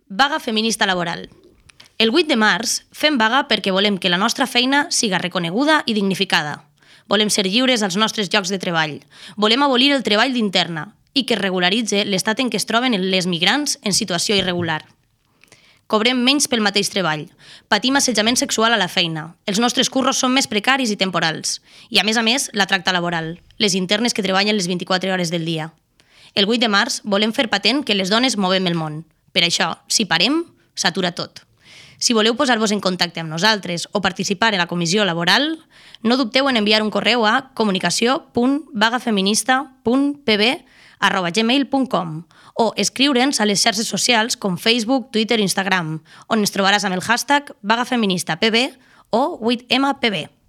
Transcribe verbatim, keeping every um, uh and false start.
Vaga feminista laboral. El vuit de març fem vaga perquè volem que la nostra feina siga reconeguda i dignificada. Volem ser lliures als nostres llocs de treball. Volem abolir el treball d'interna i que es regularitzi l'estat en què es troben les migrants en situació irregular. Cobrem menys pel mateix treball. Patim assetjament sexual a la feina. Els nostres curros són més precaris i temporals. I, a més a més, la tracta laboral. Les internes que treballen les vint-i-quatre hores del dia. El vuit de març volem fer patent que les dones movem el món. Per això, si parem, s'atura tot. Si voleu posar-vos en contacte amb nosaltres o participar en la comissió laboral, no dubteu en enviar un correu a comunicació punt vagafeminista punt p b arroba gmail punt com o escriure'ns a les xarxes socials com Facebook, Twitter i Instagram, on ens trobaràs amb el hashtag vagafeministapb o vuit ema pe be.